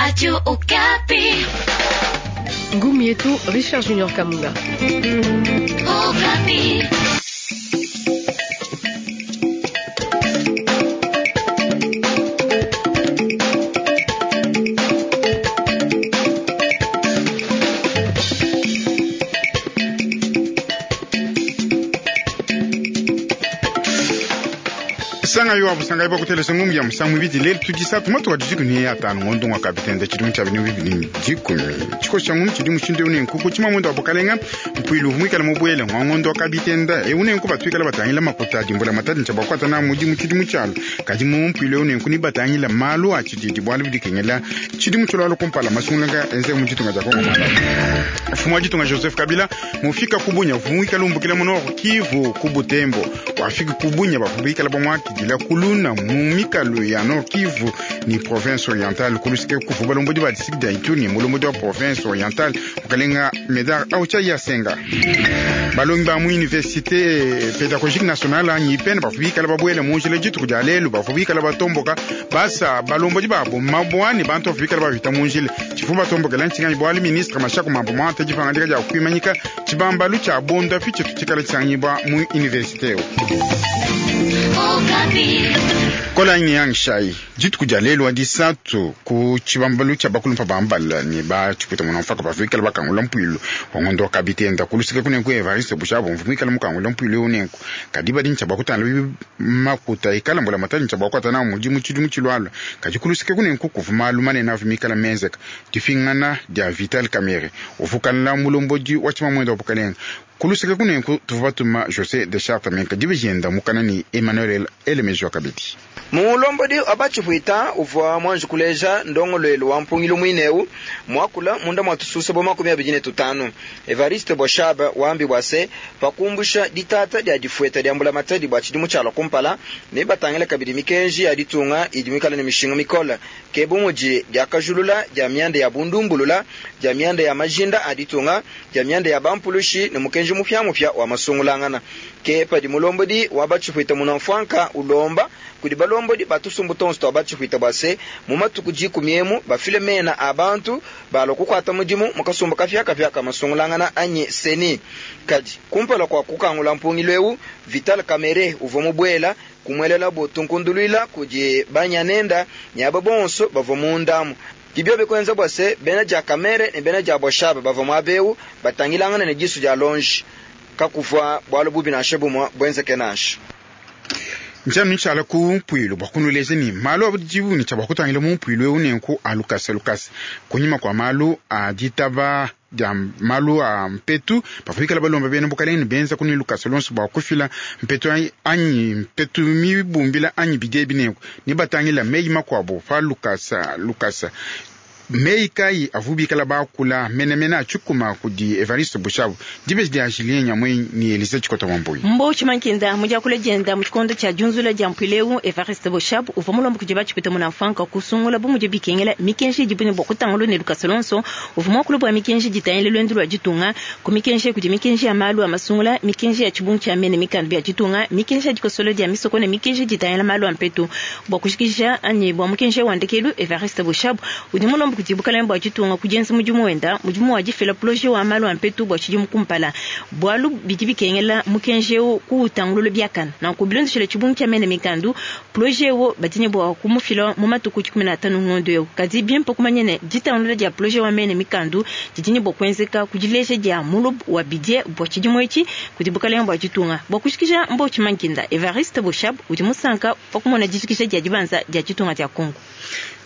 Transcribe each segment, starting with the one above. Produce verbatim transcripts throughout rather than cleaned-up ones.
Radio Okapi. Ngumu yetu Richard Junior Kamunga. Okapi. Sanga yo abusanga ibo kutelesa ngumbi ya musangu ibidi lelo tudisatu matu wadijiku ni atanu ngondo ngwa kapitende chidungu cha binu bibili dikumi chiko cha ngumbi chidi mushinde une nkuku chima mwendo wabukalenga mpuilu mwikala mubwele ngwa ngondo kapitenda e une nku batwikala batangila makuta dimbula matadi ncha bakwata na mudi muchidi muchalo kadi mu mpuilu une nku ni batangila malu a chididi bwalu bidikengela chidi muchalo alo kumpala masungulanga enze muchitunga cha Kongo mala mfumo wa ditunga Joseph Kabila mufika kubunya vumwikala umbukila muno Kivu kubutembo wafika kubunya bafubikala bamwaki dila kuluna mumikalo ya Nord Kivu ni province orientale kulusike kufu balombodi ba district ya Ituri mulombodi wa province orientale mukalenga Medar aucha ya senga balongi ba mu université pédagogique nationale anyi ipene bafubikala babwele munjila dituku dia lelu bafubikala batomboka basa balombodi babo mabwani bantu bafubikala bavita munjila tshifu batombokela ntshinganyi bwali ministre mashako mambo mwate dipangadika dia kuimanyika tshibambalu tshia bonda fi tshitu tshikala tshisanganyibwa mu université eo kola yang shai dituku dia lelu wa disatu ku tshibambalu tshia bakulumpa bambala ne ba tshipuita muna mfaka bavikala bakangula mpuilu wangondo wa kabitenda kulusika kunenku Evariste Boshab mvumikala mukangula mpuilu unenku kadi badi ntshia bakutana makuta ikala mbula matali ntshia bakwata na mudimu tshidimu tshilwalwa kadi kulusika kunenku kuvu malu manene avumikala menzeka difingana dia Vital Kamerhe uvukala mulombodi wa tshimamwendo wa bukalenga kulusika kunenku tuvu batuma José de Charte menka dibe mukana ni Emmanuel Elemejwa kabidi mulombodi abachipuita uvwa mwanji kuleja ndongolwelo wa mpungilo mwineu mwakula munda mwatususa bwa makumi abidi ne tutanu Evariste Boshab wambi bwase pakumbusha ditata dia difueta dia mbula matadi bwa tshidimu tshialua kumpala ne batangila kabidi mikenji ya ditunga idi mikala ne mishinga mikola ke bumudi diakajulula dia mianda ya bundumbulula dia mianda ya majinda a ditunga dia mianda ya bampulushi ne mukenji mupya-mupya wa masungulangana ke padi mulombodi wa bachipuita munamfwanka ulomba kudi balombodi batusumbu tonso twa bachipuita bwase mu matuku dikumi emu bafile mena a bantu balua kukwata mudimu mukasumbu kapya-kapya kamasungulangana anyi seni kadi kumpala kwa kukangula mpungilo eu Vital Kamerhe uvua mubuela kumwelela botunkunduluila kudi banyanenda nyaba bonso bavua mundamu dibio bikwenza bwase bena dia Kamerhe ne bena dia Boshab bavua muabeu batangilangana ne disu dia longe kakuvua bwalu bubi nansha bumwa bwenzeke nansha njanu tshala ku mpuilu bua kunuleza ni malu abudibu ni tshia kutangila mu mpuilu eu nenku alukasa lukasa kunyima kwa malu a ditaba dia malu a mpetu bafikala balomba bena bukalenge benza kuni lukasa lonso bua kufila mpetu anyi mpetu mibumbila anyi bidie binenku ni batangila meyi makuabu pa lukasa lukasa meyi kayi avubikala bakula menemene atshikuma kudi Evariste Boshab dibeji dia Julien Nyamwe ni Elise Tshikota Wambuyi mbo tshimankinda mudiakula dienda mu tshikondo tshia diunzula dia mpuileu Evariste Boshab uvua mulomba kudi batshipita munamfanka kusungula bu mudi bikengela mikenji idi bune bua kutangula ne lukasa lonso uvua muakula bua mikenji ditangila luendu lua ditunga ku mikenji kudi mikenji ya malu a masungula mikenji ya tshibungu tshia mene mikandu bia ditunga mikenji ya dikosolo dia misoko ne mikenji ditangila malu a mpetu bua kushikisha anyi bua mukenji wa ndekelu Evariste Boshab udi mulomba kudi bukalenge bua ditunga kudienza mudimu wenda mudimu wa difila projet wa malu a mpetu bua tshidimu kumpala bualu bidi bikengela mukenji eu kuutangulula biakana nanku bilondeshile tshibungu tshia mene mikandu projet eu badine bua kumufila mu matuku dikumi na atanu ngondo eu kadi bimpe kumanya ne ditangulula dia projet wa mene mikandu didi bua kuenzeka kudileja dia mulubu wa bidie bua tshidimu etshi kudi bukalenge bua ditunga bua kushikisha mbo tshimankinda Evariste Boshab udi musanka pa kumona dijikisha dia dibanza dia ditunga dia Kongo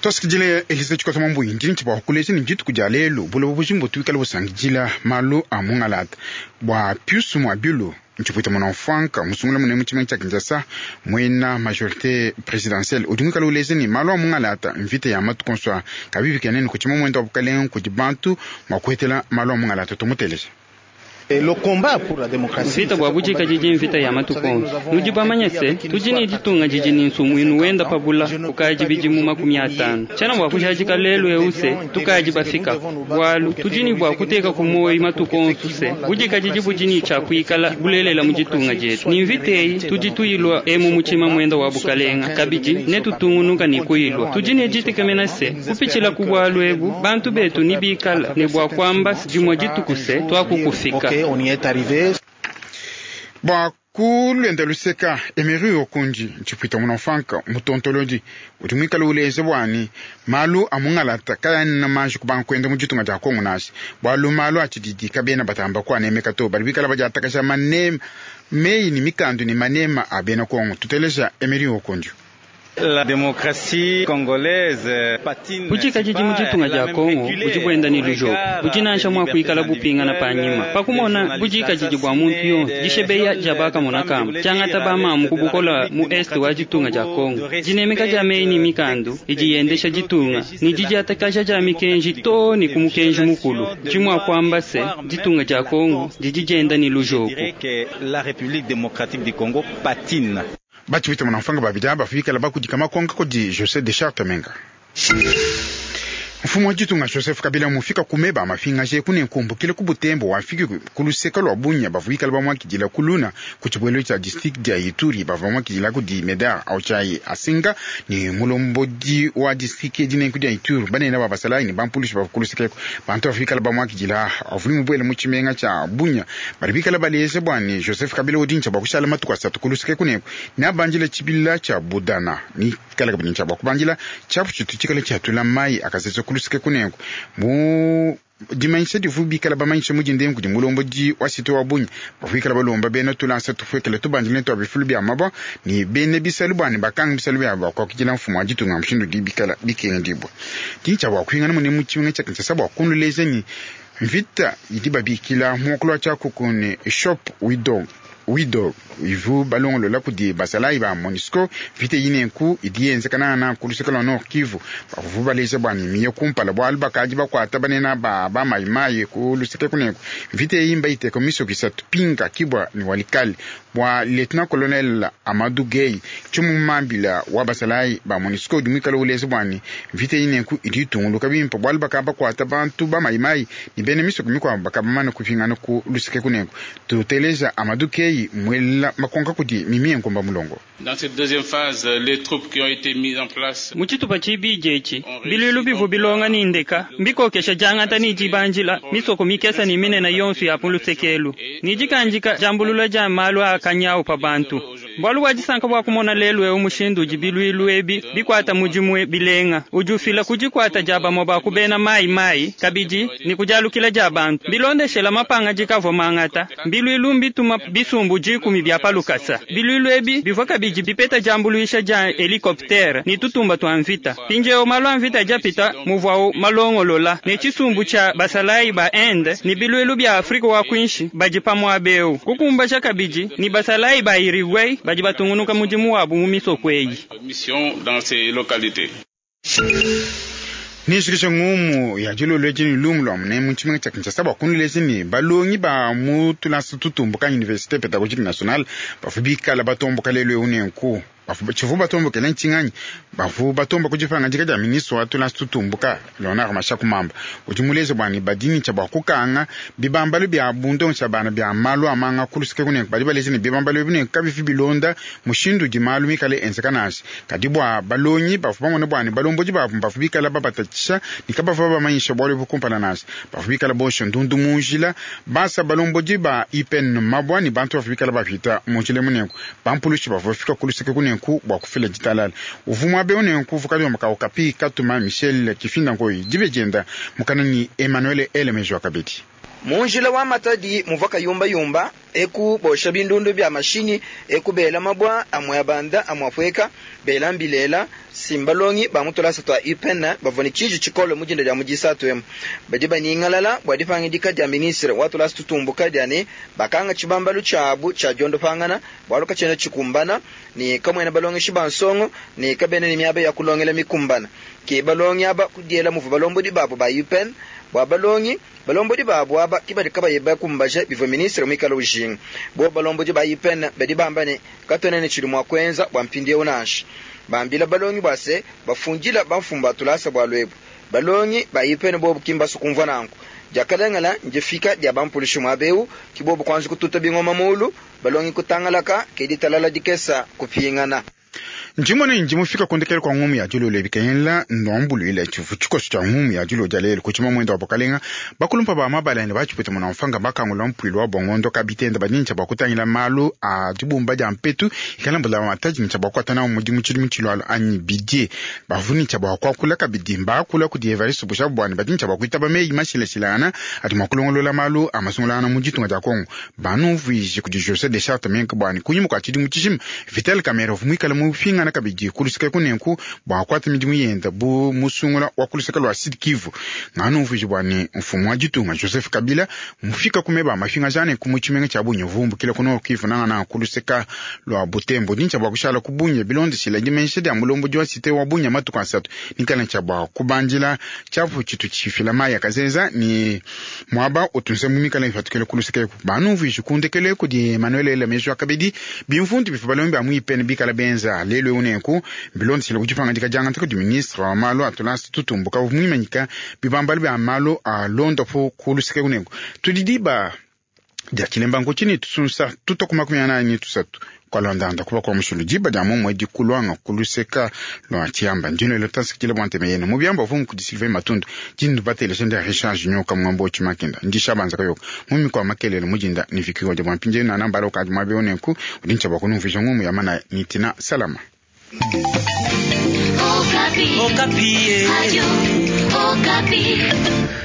tosikidile Elise Tshikota Mambuyi ndi ntshibua kuleja ne dituku dia lelu buloba bujimbu tuikala busangidila malu a mungalata bua Pius Muabilu ntshipuita muna mfanka musungula mune mu tshimenga tshia Kinshasa muena majorité présidentielle udi muikala uleja ne malu a mungalata mvita ya matuku onso a kabibikenene ku tshima muenda wa bukalenga kudi bantu mua kuhetela malu a mungalata tumuteleja. Mvita bua budikadidi mvita ya matuku onso. Nudi bamanye se tudi ne ditunga didi ne nsumuinu wenda pabula kukadi bidimu makumi atanu. Tshiena bua kujadika lelu eu se tukadi bafika bualu tudi ne bua kuteka ku muoyo matuku onso se budikadidi budi ne tshia kuikala bulelela mu ditunga dietu. Ni mvita eyi tudi tuyilua emu mu tshima mwenda wa bukalenga kabidi netutungunuka ne kuyilua. Tudi ne ditekemena se kupitshila ku bualu ebu bantu betu ni bikala ne bua kuamba dimue dituku se tuakukufika. Bua kulwenda luseka Emery Okundi ntshipwita munamfanka mutontolodi udi muikale uleja bwani malu a mungalata kayana manji kubanga kwenda mu ditunga dia Kongo nashi bwalu malu a tshididi kabena batamba kuanemeka to badi bikala badiatakasha manema meyi ni mikandu ni manema a bena Kongo. Tuteleja Emery Okundi. La démocratie congolaise patine. Budikadidi mu ditunga dia Kongo budi buenda ne lujoko budi nansha mua kuikala bupingana panyima pakumona budikadidi bua muntu yonso dishebeya dia bakamona kamba diangata bamamu kubukola mu este wa ditunga dia Kongo dinemeka dia meyi ne mikandu idi yendesha ditunga ne didiatakaja dia mikenji to ne ku mukenji mukulu dimua kuamba se ditunga dia Kongo didi dienda ne lujoko. La République démocratique du Congo patine. Batshipwita munamfanga babidi aba bafikala bakudika makonka kudi José de Charte Menga. Mfumu wa ditunga Joseph Kabila mufika kumeba mafinga je kune nkumbukile ku Butembo wafiki ku luseka lwa Bunya bavuikala bamwakidila kuluna ku tshibwelo tshia district dia Ituri bavua bamwakidila kudi Medar Auchai Asinga ni mulombodi wa district dinenku dia Ituri banene ba basalayi ni bampulushi bava ku luseka eko bantu bafikala bamwakidila avuli mubwele mu tshimenga tshia Bunya badi bikala baleja bwani Joseph Kabila udi ntshia bua kushala matuku asatu ku luseka kuneko ne abandila tshibila tshia Budana ni kala kabidi ntshia bua kubandila tshiapu tshitu tshikala tshiatula mayi akasesa ku luseke kuneko mu dimanyisha divu bikala bamanyisha mudinde kudi mulombodi wa site wa Bunya bavuikala balomba bena tulansa tufuekele tubandile twa bifulu bia mabwa ni bene bisalu bwani bakanga bisalu bia bakwakidila mfumu wa ditunga mushindu di bikala bikengedibwa tintsha bua kuhingana mune mu tshimenga tshia Kinshasa bua kunuleza ni mvita idi babikila muokolo wa tshiakuku ne shop widow wido ivu balongolola kudi basalayi ba MONUSCO mvita yinenku idi yenzekana na ku luseke lwa Nord Kivu bavuvu baleja bwani miye kumpala bwalu bakadi bakwata banena ba bamayimayi ku luseke kuneku mvita eyi mbayiteka misoko isatu Pinga Kibwa ni Walikale bwa lieutenant colonel Amadou Gueye tshimumambila wa basalayi ba MONUSCO udi muikale uleza bwani mvita yinenku idi itunguluka bimpe bwalu bakaba bakwata bantu bamayimayi ni bene misoko mikwabo bakabamana kupingana ku luseke kuneku. Tuteleja Amadou Gueye mwela makonka kudi mimi nkomba mulongo. Dans cette deuxième phase, les troupes qui ont été mises en place mu tshitupa tshibidi etshi biluilu bivu bilonga ni ndeka mbikokesha diangata ni dibanjila misoko mikesa ni minene yonso ya pulusekelu ni dikanjika diambulula dia malu a kanyawu pa bantu bualu bua disanka bua kumona lelu eu mushindu udi biluilu ebi bikwata mudimu bilenga udi ufila kudikwata dia bamue ba kubena mayi mayi kabidi ni kudialukila dia bantu bilondeshela mapanga dikavua mangata mbiluilu mbituma bisumbu dikumi bia palukasa biluilu ebi bivua kabidi bipeta diambuluisha dia helicoptere ni tutumba twa mvita pinjeo malu a mvita diapita muvuawu malongolola ne tshisumbu tshia basalayi ba Inde ni biluilu bia Afrika wa kuinshi badi pamue eu kukumbaja kabidi ni basalayi ba Uruguay badi batungunuka mudimu wabu mu misoko eyi. Mission dans ces localités. Nishikisha ngumu ya dilolo edi lumu lua mune mu tshimenga tshia Kinshasa bua kunuleza ni balongi ba mu tulasa tutumbuka Université Pédagogique Nationale bavua bikala batomboka lelu eu nenku tshivu batombokela ntshinganyi bavu batomba kudipanga dia ministre wa tulasa tutumbuka Leonard Mashaku Mamba udi muleze bwani badini tshia bua kukanga bibambalu bia bundongo bana bia malu amanga kuluseke kunenku badi baleze ne bibambalu ebi nenku kabifi bilonda mushindu udi malu mikale enzeka nashi kadi bua balongi bavu bamona bwani balombodi babu bavu bikala babatatshisha ni kabavua bamanyisha bualu ebu kumpala nashi bavu bikala bosha ndundu mu njila basa balombodi ba I P N mabwa ni bantu bavu bikala bapita mu njila munenku bampulushi bavu bafika kuluseke kunenku bua kufila ditalala uvumwa be unenku vukali wa makao kapi katuma Michel Kifinda Ngoi dibe dienda mukana ni Emmanuel Elemejo kabidi. Munjila wa Matadi muvua kayumbayumba eku bosha bindundu bya mashini eku bela mabwa amwe abanda amwe afweka bela mbilela simbalongi bamutolasa twa U P N bavua ne tshiji tshikole mudinda dia mudisatu emu badi banyingalala bua dipangidika dia ministre wa tulasa tutumbuka dia ne bakanga tshibambalu tshiabu tshia diondopangana bualu katshiena tshikumbana ne kamuena balongeshi ba nsongo ne kabena ne miaba ya kulongela mikumbana ke balongi aba kudiela muvua balombodi babo ba U P N Bua balongi balombodi babu aba ke badi kabayi bakumbaje bivua ministre muikale ujinga. Bobu balombodi ba I P N badi bamba ne katuena ne tshidi mua kuenza bua mpindieu nansha. Bambila balongi bua se bafundila bamfumu ba tulasa bualu ebu. Balongi ba I P N bobu ki mbasu kumvua nanku. Diakalengela ndifika dia bampulushi muaba eu, ke bobu kuanza kututa bingoma mulu, balongi kutangalaka, ke ditalala dikesa kupingana. Ndimone ndi mufika kundekele kwa ngumu ya dilolo ebikengela ndombuluile tshivu tshikoso tshia ngumu ya dilolo dia lelu kuchima mwendo wa bukalenga. Bakulumpa ba mabalane batshipwete muna mfanga bakangula mpuilu wa bongondo kabitenda badintsha bua kutangila malu a dibumba dia mpetu ikala mbula matadintsha bua kuatana mudimu tshidimu tshilualo anyi bidie bavunitsha bua kuakula kabidi mbakula kudi Evariste Boshab bwani badintsha bua kuitaba meyi mashilashilangana adi mua kulongolola malu a masungulangana mu ditunga dia Kongo. Banumvuije kudi José de Charte Menke bwani kunyima kua tshidimu tshijima Vital Kamerhe muikale mupingana kabidi kuluseka kunenku bua kuata midimu yenda bu musungula wa kuluseka lua Sud Kivu. Nganumvuije bwani mfumu wa ditunga Joseph Kabila mufika kumeba mafinga jane ku mutshimenga tshia Bunya vumbukila ku Nord Kivu nangana kuluseka lua Butembo dintsha bua kushala ku Bunya bilondeshila dimanyisha dia mulombodi wa cité wa Bunya matuku asatu nikala tshia bua kubandila tshiapu tshitu tshifila mayi akazenza ni muaba utunse mumikala ifatukile kuluseka eku. Banumvuije kundekele kudi Emmanuel Elamejo akabidi bimfundu bifu balombi ba mu I P N bikala benza lelu eu nenku bilondeshile ku dipangadika diangata kudi ministre wa malu a tulasa tutumbuka muimanyika bibambalu bia malu a londopo ku luseke kunenku. Tudi diba dia tshilemba nkutshini tusunsa tuta ku makumi anayi ni tusatu kwalondanda kuba kwa mushulu diba dia momwe dikulwanga kuluseka lwa tshiamba ndino elo tasikile bwa nteme yene mubyamba vumu kudi Sylvain Matundu dindu batelesha ndia Richard Junior kamwambo chimakinda ndishabanza kayoka mumi kwa makelele mujinda ni vikiwa dia bwampinje na nambala ukadi mwabe onenku udincha bwa kunumvisha ngumu ya mana nitina salama. Okapi. Okapi. Radio Okapi.